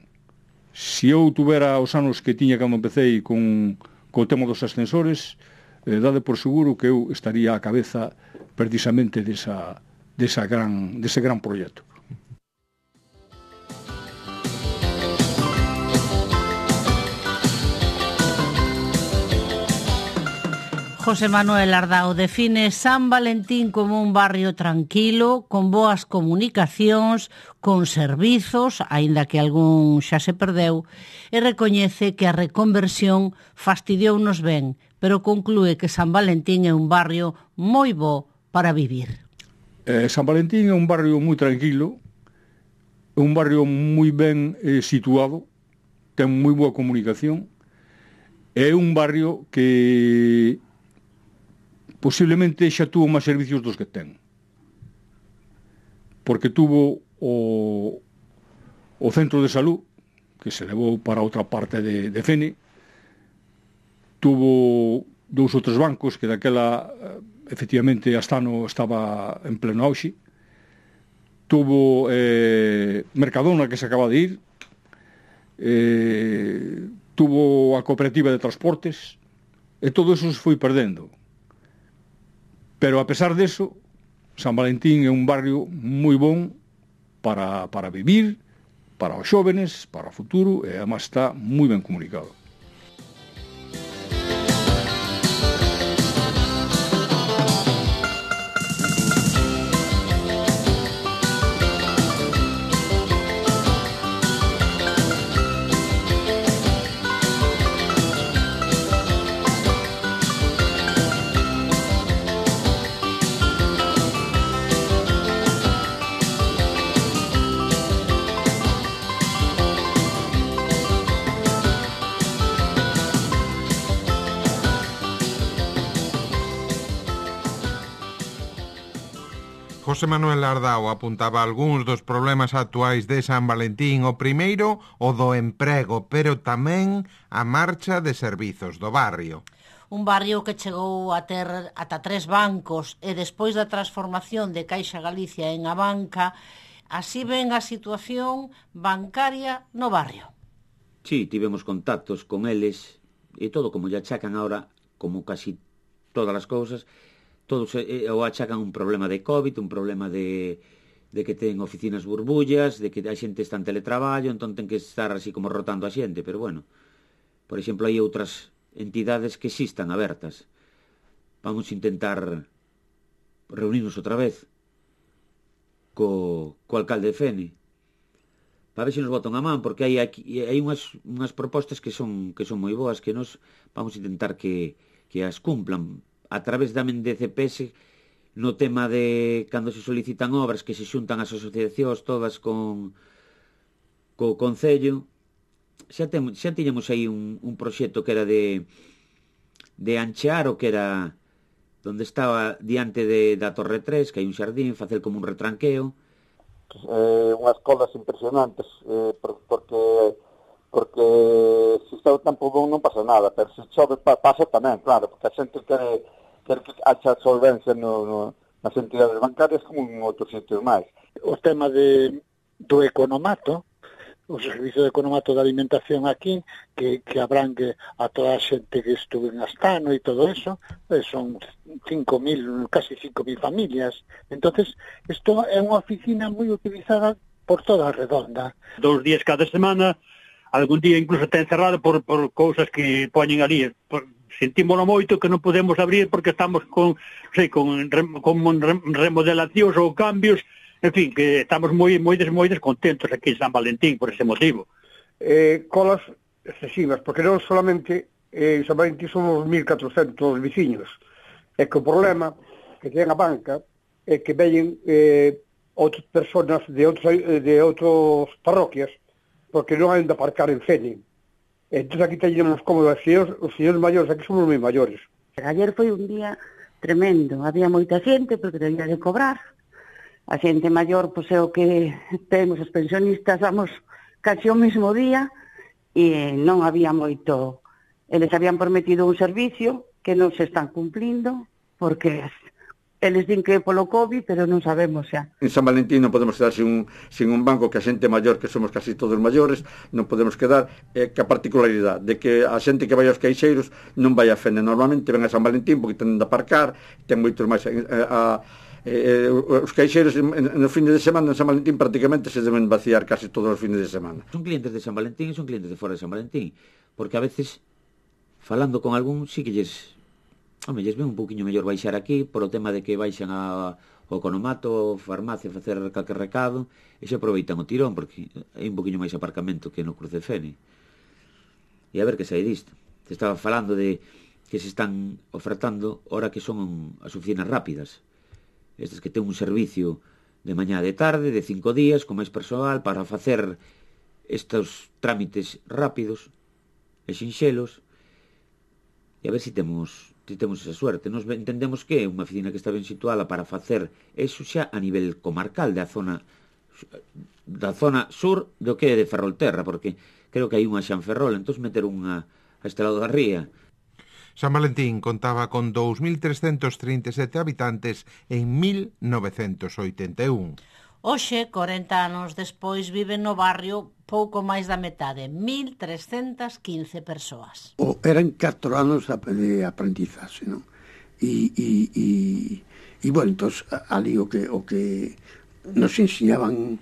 Se eu tuvera os anos que tiña cando empecé con o tema dos ascensores, dade por seguro que eu estaría á cabeza precisamente dese gran proxecto. José Manuel Ardao define San Valentín como un barrio tranquilo, con boas comunicacións, con servizos, aínda que algún xa se perdeu, e recoñece que a reconversión fastidiounos ben, pero conclúe que San Valentín é un barrio moi bo para vivir. San Valentín é un barrio moi tranquilo, é un barrio moi ben situado, ten moi boa comunicación, é un barrio que posiblemente xa tuvo máis servicios dos que ten. Porque tuvo o centro de salud, que se levou para outra parte de Fene, tuvo 2 ou 3 bancos, que daquela, efectivamente, Astano estaba en pleno auxe, tuvo Mercadona, que se acaba de ir, tuvo a cooperativa de transportes, e todo eso se foi perdendo. Pero a pesar deso, San Valentín é un barrio moi bon para vivir, para os xóvenes, para o futuro, e además está moi ben comunicado. José Manuel Ardao apuntaba algúns dos problemas actuais de San Valentín. O primeiro, o do emprego, pero tamén a marcha de servizos do barrio. Un barrio que chegou a ter ata 3 bancos e despois da transformación de Caixa Galicia en Abanca, así ven a situación bancaria no barrio. Sí, tivemos contactos con eles e todo como lle achacan ahora, como casi todas as cousas, todos o achacan un problema de COVID, un problema de que ten oficinas burbullas, de que a xente está en teletraballo, entón ten que estar así como rotando a xente, pero bueno, por exemplo, hai outras entidades que existan abertas. Vamos a intentar reunirnos outra vez co alcalde de Fene para ver se nos botan a man, porque hai unhas propostas que son moi boas, que nos vamos a intentar que as cumplan a través tamén de CPS, no tema de cando se solicitan obras, que se xuntan as asociacións todas co Concello. Xa tiñamos aí un proxecto que era de anchear o que era donde estaba diante da Torre 3, que hai un xardín, facer como un retranqueo. Unhas colas impresionantes, porque se está o tempo bon non pasa nada, pero se chove pasa tamén, claro, porque a xente quere que haxa solvencia nas entidades bancarias como en outros sitios máis. O tema do economato, o servicio de economato de alimentación aquí, que abrangue a toda a xente que estuve en Astano e todo eso, son 5.000, casi 5.000 familias. Entonces, isto é unha oficina moi utilizada por toda a redonda. 2 días cada semana, algún día incluso está encerrado por cousas que poñen ali. Sentímoslo moito que non podemos abrir porque estamos con remodelacións ou cambios, en fin, que estamos moi descontentos aquí en San Valentín por ese motivo. Colas excesivas, porque non solamente en San Valentín somos 1.400 veciños, é que o problema que ten a banca é que veñen outras personas de outras parroquias porque non hai onde aparcar en Fene. Entón aquí teñemos como os señores maiores, aquí somos moi maiores. Ayer foi un día tremendo, había moita xente porque debía de cobrar. A xente maior, pois é o que temos os pensionistas, vamos casi o mesmo día e non había moito. Eles habían prometido un servicio que non se están cumplindo porque eles din que é polo COVID, pero non sabemos xa. En San Valentín non podemos quedar sin un banco, que a xente maior, que somos casi todos maiores, non podemos quedar, que a particularidade de que a xente que vai aos caixeiros non vai a Fene. Normalmente ven a San Valentín porque tenen de aparcar, ten moitos máis. Os caixeiros nos fines de semana en San Valentín prácticamente se deben vaciar casi todos os fines de semana. Son clientes de San Valentín e son clientes de fora de San Valentín, porque a veces, falando con algún, sí que lles Home, lles ven un poquinho mellor baixar aquí, por o tema de que baixan ao economato, farmacia, a facer calquer recado, e se aproveitan o tirón, porque hai un poquinho máis aparcamento que no Cruz de Fene. E a ver que sai disto. Se estaba falando de que se están ofertando ahora que son as oficinas rápidas. Estas que ten un servicio de mañá de tarde, de 5 días, con máis persoal, para facer estes trámites rápidos e sinxelos, e a ver se temos esa suerte. Nos entendemos que é unha oficina que está ben situada para facer eso xa a nivel comarcal da zona sur do que é de Ferrolterra, porque creo que hai unha xa en Ferrol, entón meter unha a este lado da ría. San Valentín contaba con 2.337 habitantes en 1981. Hoxe, 40 anos despois, viven no barrio pouco máis da metade, 1.315 persoas. Eran 4 anos de aprendizaxe, non? E bueno, entón, ali o que nos enseñaban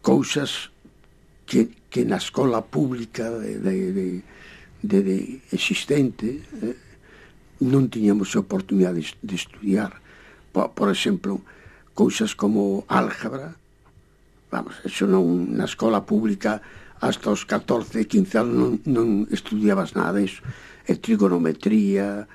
cousas que na escola pública de existente non tiñamos oportunidade de estudiar. Por exemplo, cousas como álgebra, vamos, eso non, na escola pública hasta os 14, 15 anos non estudiabas nada disso. Trigonometría,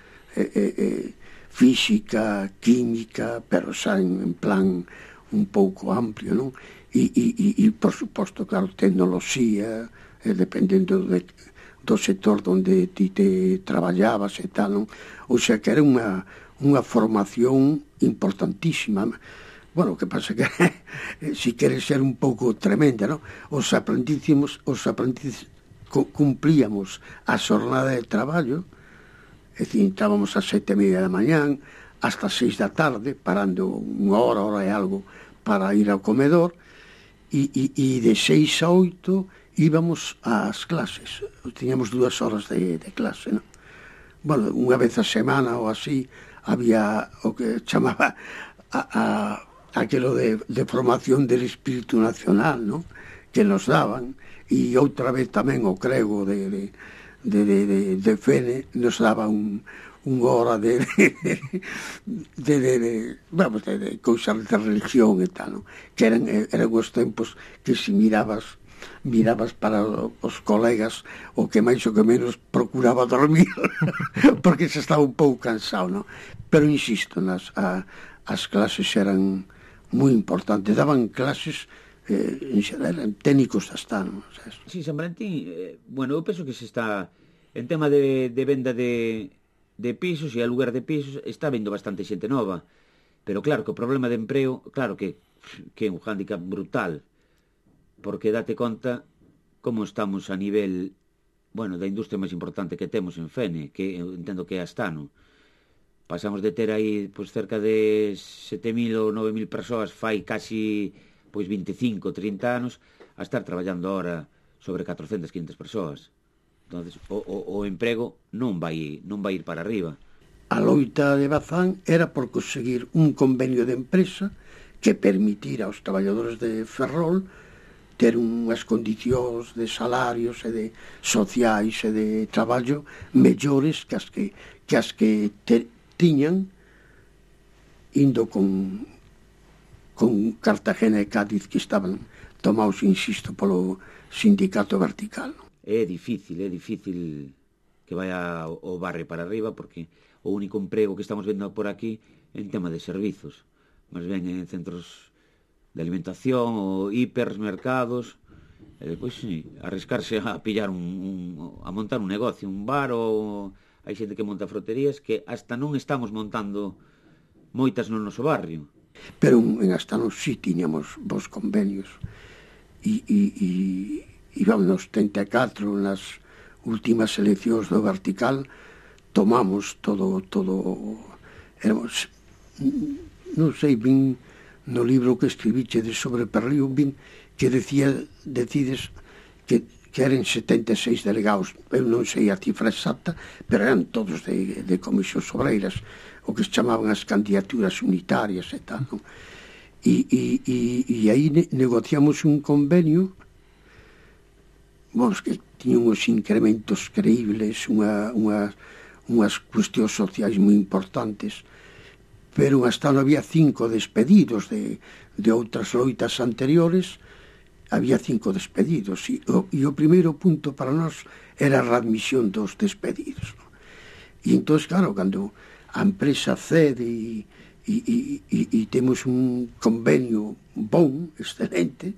física, química, pero xa en plan un pouco amplio, non? E por suposto, claro, tecnoloxía, dependendo do sector onde ti te traballabas e tal, non? O sea que era unha formación importantísima. Bueno, o que pasa que si queres ser un pouco tremenda, non? Os aprendices cumplíamos a xornada de traballo, é dicir, entrábamos a 7:30 da mañán hasta 6 da tarde, parando unha hora e algo para ir ao comedor, e de 6 a 8 íbamos ás clases. Tiñamos 2 horas de clase, non? Bueno, unha vez a semana ou así había o que chamaba aquilo de formación del espírito nacional, non? Que nos daban, e outra vez tamén o crego de Fene nos daba unha hora de cousas de religión e tal, non? Que eran os tempos que se mirabas para os colegas o que máis ou que menos procuraba dormir porque se estaba un pouco cansado, non? Pero insisto, as clases eran moi importantes, daban clases eran técnicos hasta, non? Sí, San Valentín, bueno, eu penso que se está en tema de venda de pisos e aluguer de pisos, está vendo bastante xente nova, pero claro que o problema de empreo, claro que é un hándicap brutal, porque date conta como estamos a nivel, bueno, da industria máis importante que temos en Fene, que eu entendo que é Astano. Pasamos de ter aí pois cerca de 7.000 ou 9.000 persoas fai casi pois 25, 30 anos a estar traballando ahora sobre 400, 500 persoas. Entonces, o emprego non vai ir para arriba. A loita de Bazán era por conseguir un convenio de empresa que permitira aos traballadores de Ferrol ter unhas condicións de salarios e de sociais e de traballo mellores que as que tiñan indo con Cartagena e Cádiz, que estaban tomados, insisto, polo sindicato vertical. É difícil que vaya o barrio para arriba, porque o único emprego que estamos vendo por aquí é en tema de servizos, máis ben en centros de alimentación ou hipermercados, e depois sí, arriscarse a pillar a montar un negocio, un bar, ou hai xente que monta froterías que hasta non estamos montando moitas no noso barrio. Pero en Astano sí tiñamos vos convenios e íbamos nos 34 nas últimas eleccións do vertical, tomamos todo éramos, non sei ben no libro que escribiche sobre Perrío, ben que decides que eran 76 delegados, eu non sei a cifra exacta, pero eran todos de comisións obreiras, o que se chamaban as candidaturas unitarias e tal, non? E aí negociamos un convenio, que tiña uns incrementos creíbles, unhas cuestións sociais moi importantes, pero hasta non había 5 despedidos de outras loitas anteriores, había 5 despedidos, e o primeiro punto para nós era a readmisión dos despedidos. E entón, claro, cando a empresa cede e temos un convenio bon, excelente,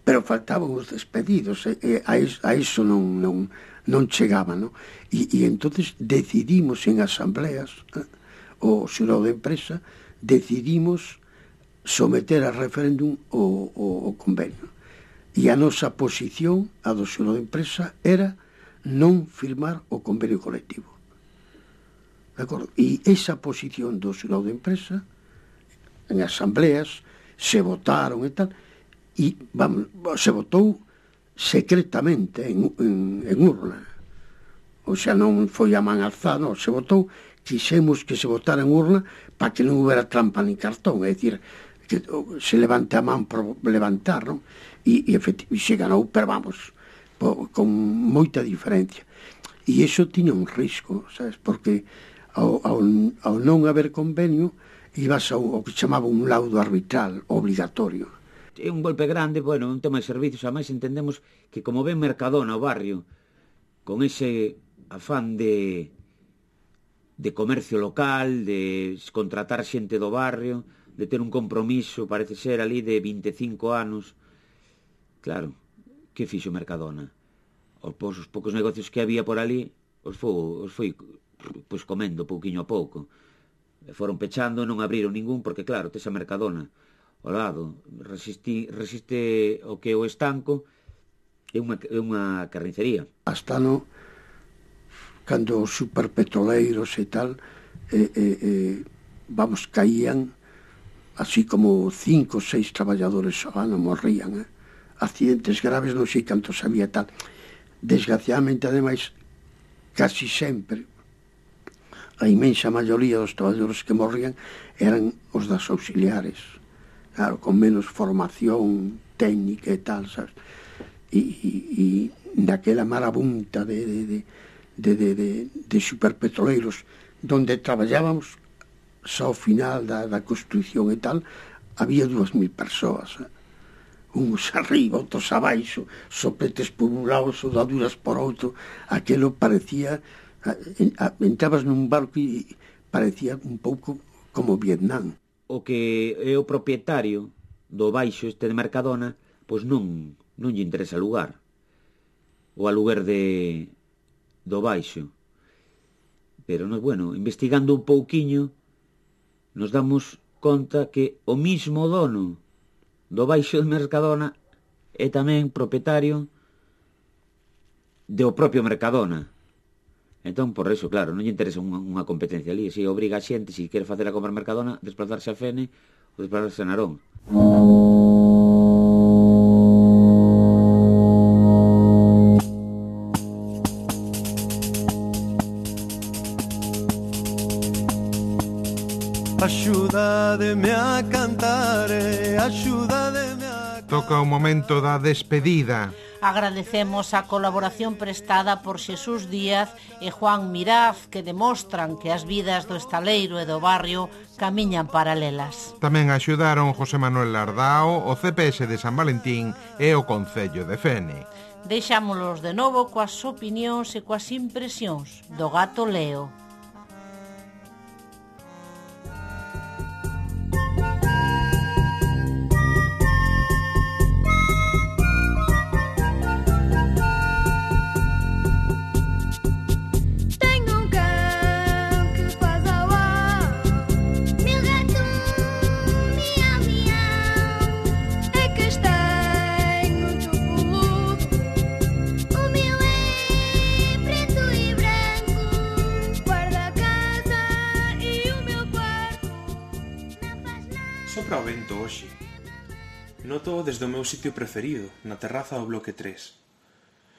pero faltaban os despedidos, a iso non chegaba, non? E entonces decidimos en asambleas, o xurado de empresa, decidimos someter a referéndum o convenio. E a nosa posición, a do xurado de empresa, era non firmar o convenio colectivo. De acordo? E esa posición do xurado de empresa, en asambleas, se votaron e tal, e se votou secretamente en urna. O sea, non foi a man alzada, non, se votou, quixemos que se votara en urna para que non houbera trampa nin cartón, é dicir, que se levante a man por levantar, non? E se ganou, pero vamos, con moita diferencia. E iso tiña un risco, sabes, porque ao non haber convenio, ibas ao que chamaba un laudo arbitral obligatorio. É un golpe grande, bueno, un tema de servicios, ademais entendemos que como ven Mercadona o barrio, con ese afán de comercio local, de contratar xente do barrio, de ter un compromiso, parece ser, ali de 25 anos, claro, que fixo Mercadona? Os poucos negocios que había por ali, os foi pois comendo pouquiño a pouco. Foron pechando, non abriron ningún, porque claro, tes a Mercadona ao lado, resiste o que o estanco, é unha carnicería. Hasta cando os superpetroleiros e tal, caían, así como 5 ou 6 traballadores ao ano morrían, accidentes graves, non sei cantos había tal. Desgraciadamente, ademais, casi sempre, a inmensa maioría dos traballadores que morrían eran os das auxiliares, claro, con menos formación técnica e tal, sabes? E naquela marabunta de superpetroleiros donde traballábamos, só ao final da construcción e tal, había 2.000 persoas, uns arriba, outros abaixo, sopletes por un lado, soldaduras por outro. Aquelo parecía, entrabas nun barco e parecía un pouco como Vietnam. O que é o propietario do baixo este de Mercadona, pois non lle interesa alugar o aluguer do baixo. Pero, bueno, investigando un pouquiño, nos damos conta que o mismo dono do baixo de Mercadona é tamén propietario do propio Mercadona. Entón, por eso, claro, non lle interesa unha competencia ali. Se obriga a xente, se quere facer a compra Mercadona, desplazarse a Fene ou desplazarse a Narón. Axúdademe a cantar, axúdademe a cantar. Toca o momento da despedida. Agradecemos a colaboración prestada por Xesús Díaz e Juan Miraz, que demostran que as vidas do estaleiro e do barrio camiñan paralelas. Tamén axudaron José Manuel Lardao, o CPS de San Valentín e o Concello de Fene. Deixámolos de novo coas opinións e coas impresións do gato Leo. Sopra o vento hoxe. Noto desde o meu sitio preferido, na terraza do bloque 3.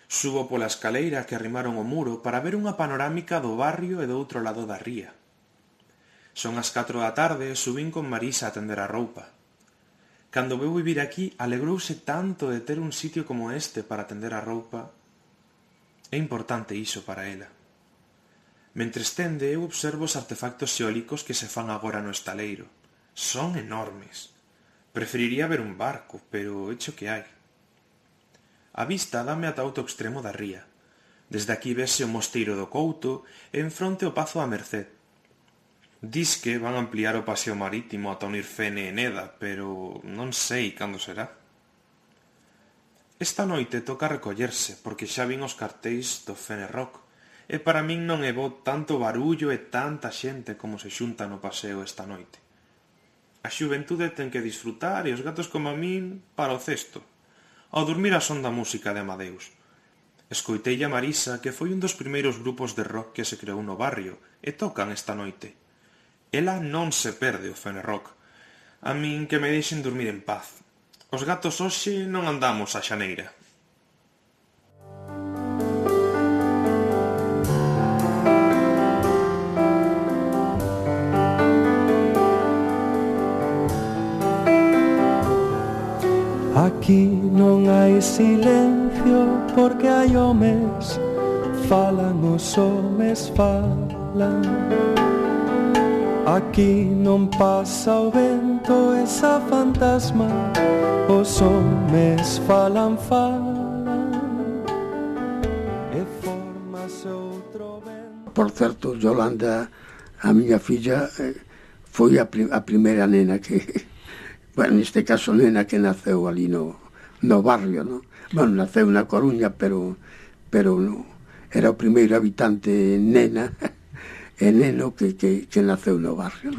Subo pola escaleira que arrimaron o muro para ver unha panorámica do barrio e do outro lado da ría. Son as 4 da tarde e subín con Marisa a tender a roupa. Cando veu vivir aquí, alegrouse tanto de ter un sitio como este para tender a roupa. É importante iso para ela. Mentres tende, eu observo os artefactos xeólicos que se fan agora no estaleiro. Son enormes. Preferiría ver un barco, pero echo que hai. A vista dame ata outro extremo da ría. Desde aquí vese o mosteiro do Couto e enfronte o Pazo da Merced. Dis que van ampliar o paseo marítimo ata unir Fene e Neda, pero non sei cando será. Esta noite toca recollerse, porque xa vin os cartéis do Fene Rock, e para min non é bo tanto barullo e tanta xente como se xunta no paseo esta noite. A xuventude ten que disfrutar e os gatos como a min para o cesto, ao dormir a son da música de Amadeus. Escoitei a Marisa, que foi un dos primeiros grupos de rock que se creou no barrio, e tocan esta noite. Ela non se perde o Fene Rock. A min que me deixen dormir en paz. Os gatos hoxe non andamos á xaneira. Aquí non hai silencio porque hai homes, falan os homes, falan. Aquí non pasa o vento, esa fantasma, os homes falan, falan, e formase outro vento. Por certo, Yolanda, a miña filla, foi a primeira nena que, bueno, neste caso nena que naceu ali no barrio, no? Bueno, naceu na Coruña, pero no, era o primeiro habitante nena e neno que naceu no barrio.